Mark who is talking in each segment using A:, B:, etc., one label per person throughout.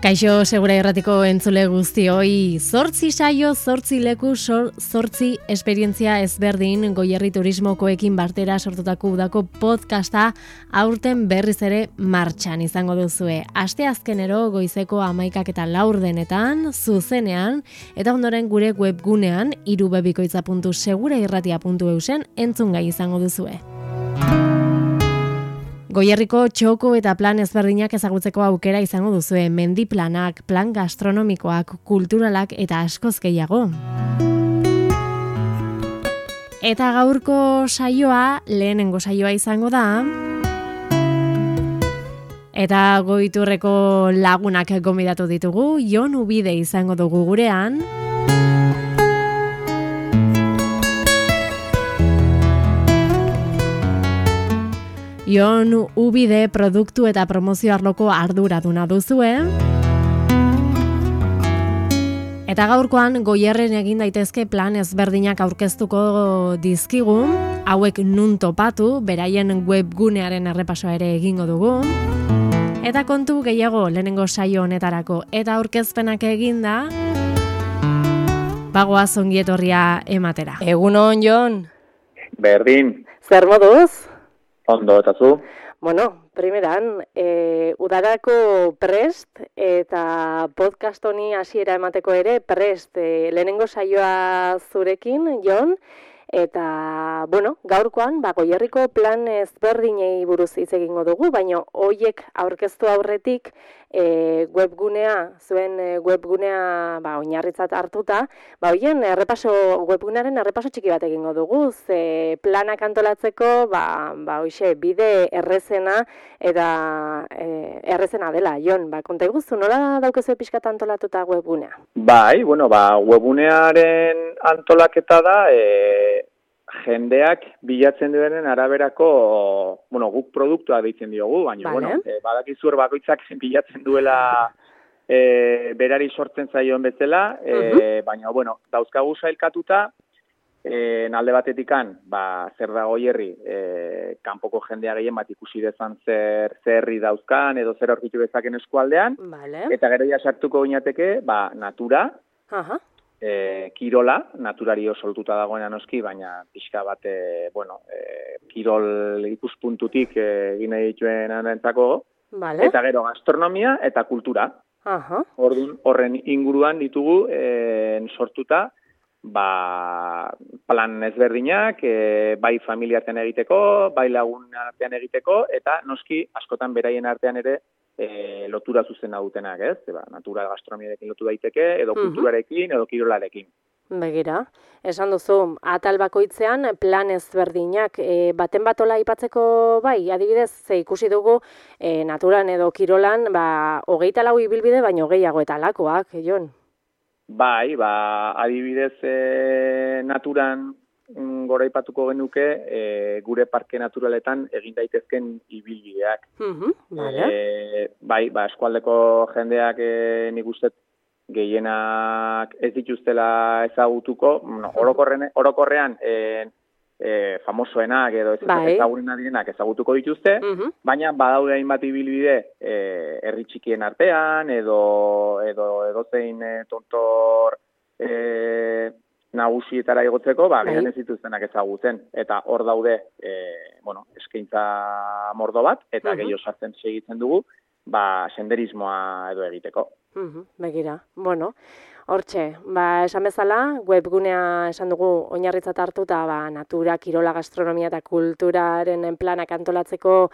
A: Kaixo, Segura Irratiko entzule guztioi, 8 saio, 8 leku, 8 esperientzia ezberdin Goierri Turismokoekin batera sortutako udako podcasta aurten berriz ere martxan izango duzue. Asteazkenero goizeko 11:04 zuzenean eta ondoren gure webgunean irubebikoitza.segurairratia.eusen entzungai izango duzue. Goierriko txoko eta plan ezberdinak ezagutzeko aukera izango duzue, mendiplanak, plan gastronomikoak, kulturalak eta askoz gehiago. Eta gaurko saioa, lehenengo saioa izango da, eta Goiturreko lagunak gonbidatu ditugu, Jon Ubide izango dugu gurean, Jon Ubide produktu eta promozio arloko arduraduna duzue. Eta gaurkoan Goierren egin daitezke plan ezberdinak aurkeztuko dizkigu, hauek nun topatu, beraien webgunearen errepasoa ere egingo dugu. Eta kontu gehiago lehenengo saio honetarako eta aurkezpenak eginda, bagoaz ongietorria ematera. Egunon, Jon.
B: Berdin.
A: Zer moduz?
B: Ondo, eta zu?
A: Bueno, primeran, udarako prest eta podcast honi hasiera emateko ere prest lehenengo saioa zurekin, Jon, eta, bueno, gaurkoan, Goierriko plan ezberdinei buruz hitz egingo dugu, baina hoiek aurkeztu aurretik zuen webgunea oinarritzat hartuta, hoien webgunearen errepaso txiki bat egingo dugu, ze planak antolatzeko, hoixe, bide errezena eta errezena dela, Jon, konta iguzu, nola daukezu pixkat antolatuta webgunea?
B: Bai, bueno, webgunearen antolaketa da, jendeak bilatzen duenen araberako, guk produktua deitzen diogu, baina, badakizur bakoitzak bilatzen duela berari sortzen zaion bezala, baina, dauzkagu sailkatuta, alde batetikan, zer da Goierri, kanpoko jendea gehien bat ikusi dezan zerri dauzkan, edo zer aurkitu dezaken eskualdean, eta gero ja sartuko ginateke, natura, kirola, naturari osoltuta dagoena noski, baina pixka bat, kirol ikuspuntutik egin nahi dituen anentzako, eta gero gastronomia eta kultura. Orduan, horren inguruan ditugu sortuta, plan ezberdinak, bai familiartean egiteko, bai lagun artean egiteko, eta noski askotan beraien artean ere lotura zuzena dutenak, ez? Natura gastronomiarekin lotu daiteke, edo kulturarekin, edo kirolarekin.
A: Begira, esan duzu, atal bakoitzean plan ezberdinak, baten batola aipatzeko adibidez, ze ikusi dugu naturan edo kirolan, 24 ibilbide baino gehiago eta lakoak, Jon?
B: Bai, adibidez naturan goraipatuko genuke gure parke naturaletan egin daitezken ibilbideak. Eskualdeko jendeak nik uste gehienak ez dituztela ezagutuko, orokorrean famosoenak edo ezagurenak direnak ezagutuko dituzte, baina badaude hainbat ibilbide herri txikien artean edo zein tontor nagusietara igotzeko, gehien ez dituztenak ezagutzen. Eta hor daude, eskaintza mordo bat, eta gehiago sartzen segitzen dugu, senderismoa edo egiteko.
A: Begira, hortxe, esan bezala, webgunea esan dugu oinarritzat hartuta, natura, kirola, gastronomia eta kulturaren planak antolatzeko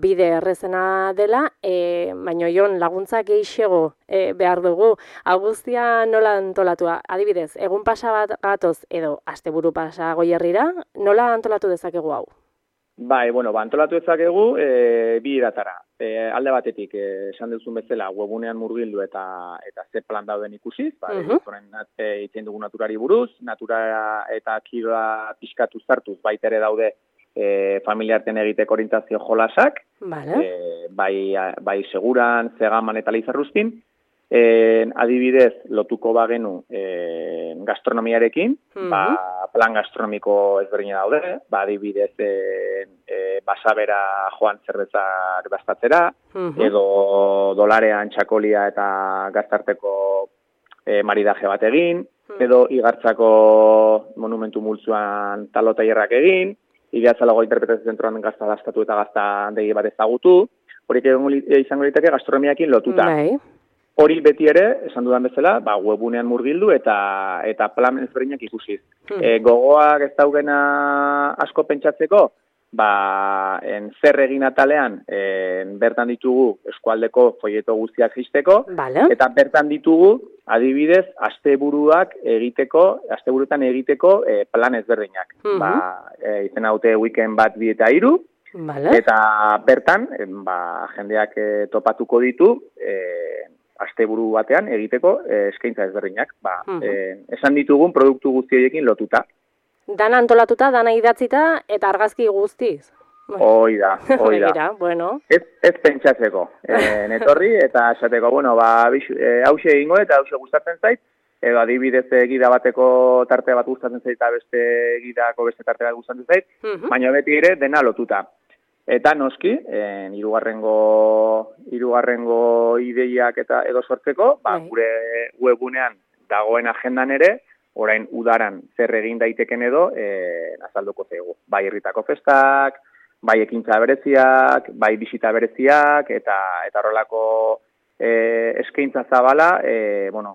A: bide errezena dela, baina Jon, laguntza gehiago behar dugu. Hau guztia nola antolatua? Adibidez, egun pasa bat gatoz edo asteburu pasa Goierrira, nola antolatu dezakegu hau?
B: Antolatu dezakegu bi eratara. Alde batetik, esan duzun bezala, webunean murgildu eta ze plan dauden ikusiz, itzen dugu naturari buruz, natura eta kirola pixkatu zartuz, baita ere daude familiarten egiteko orientazio jolasak, bai seguran, zegaman eta leizarruzkin, adibidez, lotuko bagenu gastronomiarekin, plan gastronomiko ezberdina daude, adibidez basabera joan zerbezak dastatzera, edo dolarean txakolia eta gaztarteko maridaje bat egin, edo igartzako monumentu multzuan talo tailerrak egin, Iriatzalago interpretazio zentroan gazta dastatu eta gazta handegi bat ezagutu, horiek izango liteke gastronomiakin lotuta. Hori beti ere, esan dudan bezala, webunean murgildu eta plan ezberdinak ikusiz. Gogoak ez daugena asko pentsatzeko, zer egin atalean bertan ditugu eskualdeko folleto guztiak jisteko, eta bertan ditugu, adibidez, asteburuetan egiteko plan ezberdinak. Izen haute weekend bat 2 eta 3, eta bertan, jendeak topatuko ditu, asteburu batean egiteko eskaintza ezberdinak. Esan ditugun produktu guzti horiekin lotuta.
A: Dana antolatuta, dana idatzita eta argazki guztiz.
B: Hoi da.
A: Bueno.
B: Ez pentsatzeko. Netorri eta esateko, hause egingo eta hause gustatzen zait, edo adibidez gida bateko tarte bat gustatzen zait eta beste gidako beste tarte bat gustatzen zait, baina beti ere dena lotuta. Eta noski, hirugarrengo ideiak eta edo sortzeko, gure webunean dagoen agendan ere, orain udaran zer egin daiteken edo azalduko zaigu. Bai herritako festak, bai ekintza bereziak, bai bisita bereziak, eta horrelako eskaintza zabala,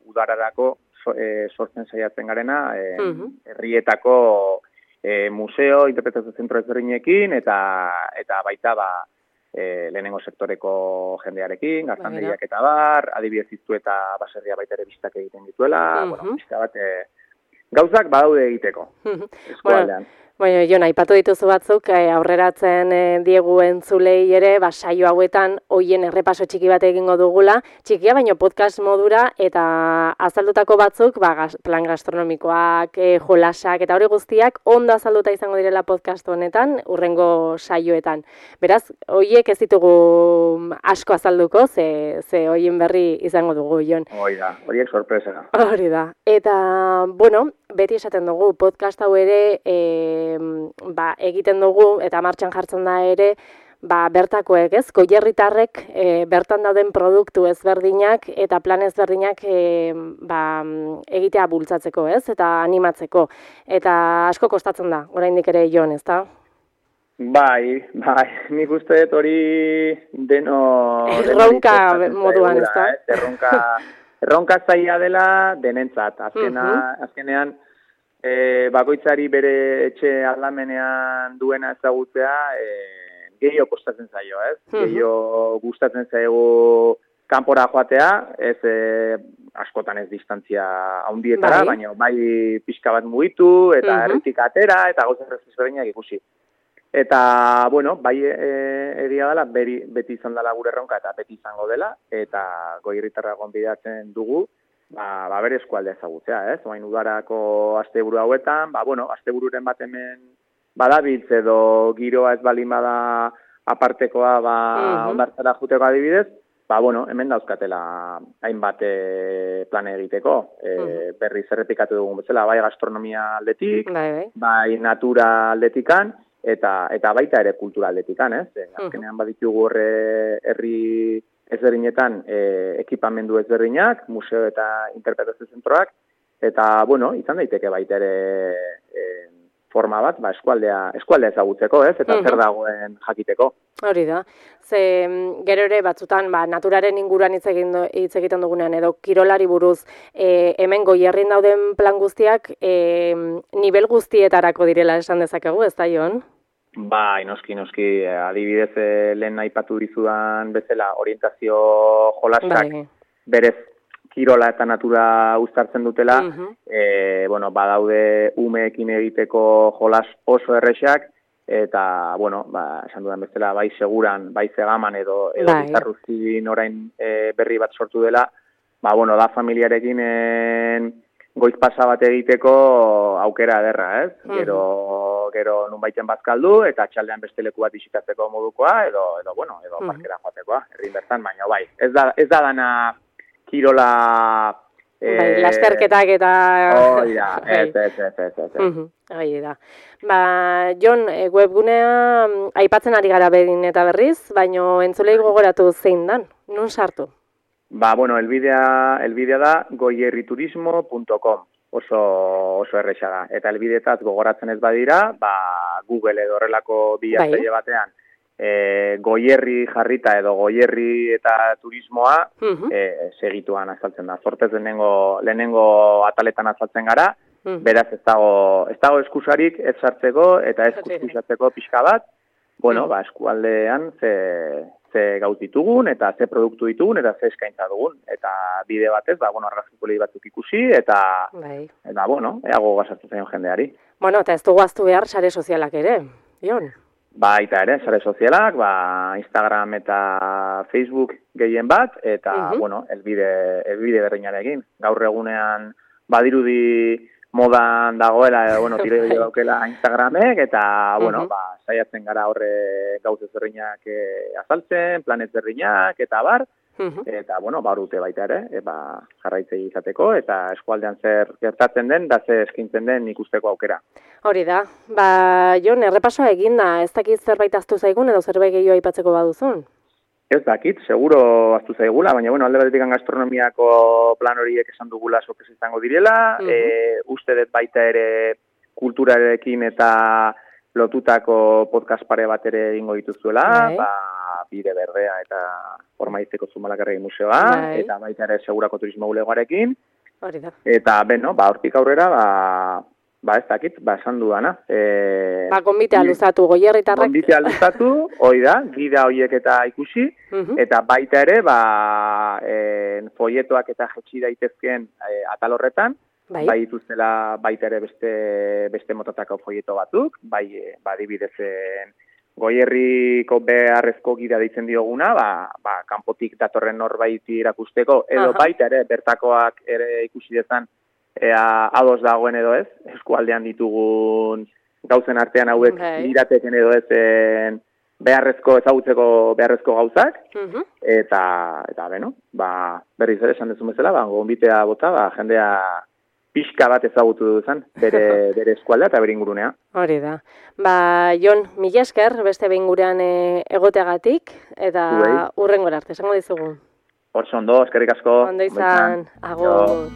B: udararako sortzen saiatzen garena, herrietako museo, interpretazio zentro ezberdinekin, eta baita lehenengo sektoreko jendearekin, gaztanderiak eta adibidez iztu eta baserria baita ere bistak egiten dituela, pixka bat gauzak badaude egiteko, eskualdean.
A: Jon, aipatu dituzu batzuk, aurreratzen diegu entzulei ere, saio hauetan hoien errepaso txiki bat egingo dugula, txikia baino podcast modura, eta azaldutako batzuk, plan gastronomikoak, jolasak, eta hori guztiak, ondo azalduta izango direla podcast honetan, hurrengo saioetan. Beraz, hoiek ez ditugu asko azalduko, ze hoien berri izango dugu, Jon.
B: Horiek sorpresa.
A: Hori da. Eta, beti esaten dugu, podcast hau ere, egiten dugu, eta martxan jartzen da ere, bertakoek, ez? Goierritarrek bertan dauden produktu ezberdinak eta plan ezberdinak egitea bultzatzeko, ez? Eta animatzeko. Eta asko kostatzen da, oraindik ere, Jon, ez da?
B: Bai, nik uste dut hori deno...
A: Erronka moduan, ez da?
B: Erronka zaila dela denentzat. Azkenean, bakoitzari bere etxe aldamenean duena ezagutzea, gehiago kostatzen zaio, ez? Gehiago gustatzen zaigu kanpora joatea, ez askotan ez distantzia handietara, baina bai pixka bat mugitu, eta herritik atera, eta gauza ezberdinak ikusi. Eta, bai egia dela, beti izan dela gure erronka, eta beti izango dela, eta goierritarra gonbidatzen dugu, bere eskualdea ezagutzea, ez? Oain udarako asteburu hauetan, astebururen bat hemen badabiltz edo giroa ez balin bada apartekoa, ondartzara juteko adibidez, hemen dauzkatela hainbat plan egiteko. Berriz errepikatu dugun bezala, bai gastronomia aldetik, bai natura aldetikan, eta baita ere kultura aldetikan, ez? Azkenean baditugu herri ezberdinetan ekipamendu ezberdinak, museo eta interpretazio zentroak, eta, izan daiteke baita ere forma bat, eskualdea ezagutzeko, ez? Eta zer dagoen jakiteko.
A: Hori da. Gero ere batzutan, naturaren inguruan hitz egiten dugunean, edo kirolari buruz, hemen Goierrin dauden plan guztiak, nivel guztietarako direla esan dezakegu, ez da, Jon?
B: Bai, noski, adibidez lehen aipatu dizudan bezala orientazio jolasak berez kirola eta natura uztartzen dutela, badaude umeekin egiteko jolas oso erresak, eta, esan dudan bezala, bai seguran, bai zegaman edo bizarruzin orain berri bat sortu dela, da familiarekin goiz pasa bat egiteko aukera ederra, ez? Gero nunbaiten bazkaldu, eta txaldean beste leku bat bisitatzeko modukoa, edo parkera joatekoa, herrin bertan, baina ez da dana kirola
A: Bai, lasterketak eta...
B: Hoi da, ez.
A: Hoi da. Ba, Jon, webgunea aipatzen ari gara behin eta berriz, baino entzulei gogoratu zein dan, nun sartu?
B: Ba, bueno, elbidea da goierriturismo.com, oso erresa da. Eta elbideetaz gogoratzen ez badira, ba, Google edo horrelako bilatzaile batean, Goierri jarrita edo Goierri eta turismoa segituan azaltzen da. Zortez lehenengo ataletan azaltzen gara, beraz ez dago eskusarik ez sartzeko eta ez eskusatzeko pixka bat, bueno, ba, eskualdean ze gauz ditugun eta ze produktu ditugun eta ze eskaintza dugun. Eta bide batez, ba, bueno, argazkikoli batzuk ikusi eta bueno, eago gasartu zaino jendeari.
A: Bueno, eta ez dugu ahaztu behar sare sozialak ere, Jon?
B: Baita ere, sare sozialak, ba, Instagram eta Facebook gehien bat, eta, bueno, elbide berreinarekin. Gaur egunean badirudi modan dagoela, bueno, tire daukela Instagramek, eta, bueno, ba, saiatzen gara horre gauz ezberdinak azaltzen, planet berdinak, eta bar, eta, bueno, ba, urte baita ere, ba, jarraitzei izateko, eta eskualdean zer gertatzen den, da ze eskintzen den ikusteko aukera.
A: Hori da, ba, Jon, errepasoa eginda, ez dakit zerbait ahaztu zaigun edo zerbait gehiago aipatzeko baduzun?
B: Ez dakit, seguro ahaztu zaigula, baina, bueno, alde batetik gastronomiako plan horiek esan dugula sorpresa izango direla, uste dut baita ere kulturarekin eta lotutako podcast pare bat ere ingo dituzuela, ba, Bide Berdea eta Ormaizteko Zumalakarregi Museoa, eta baita ere Segurako Turismo Bulegoarekin, eta, beno, ba, hortik aurrera, ba, ez dakit, ba, esan dudana.
A: Ba, gonbitea luzatu, Goierritarrak.
B: Gonbitea luzatu, hoi da, gida hoiek eta ikusi, eta baita ere, ba, folletoak eta jetxi daitezkeen atal horretan, bai dituztela baita ere beste motatako folleto batzuk, bai, adibidezen Goierriko beharrezko gida deitzen dioguna, ba, kanpotik datorren norbait irakusteko, edo baita ere, bertakoak ere ikusi dezan, ados dagoen edo ez, eskualdean ditugun gauzen artean hauek irateken edo ezen ezagutzeko beharrezko gauzak, eta beno, ba, berriz ere esan dezun bezala, ba, gonbitea bota, ba, jendea pixka bat ezagutu duzan, bere eskualdea eta bere ingurunea.
A: Hori da. Ba, Jon, mila esker beste behin gurean egoteagatik, eta hurrengora arte, esango dizugu.
B: Hortz ondo, eskerrik asko.
A: Ondo izan, agur.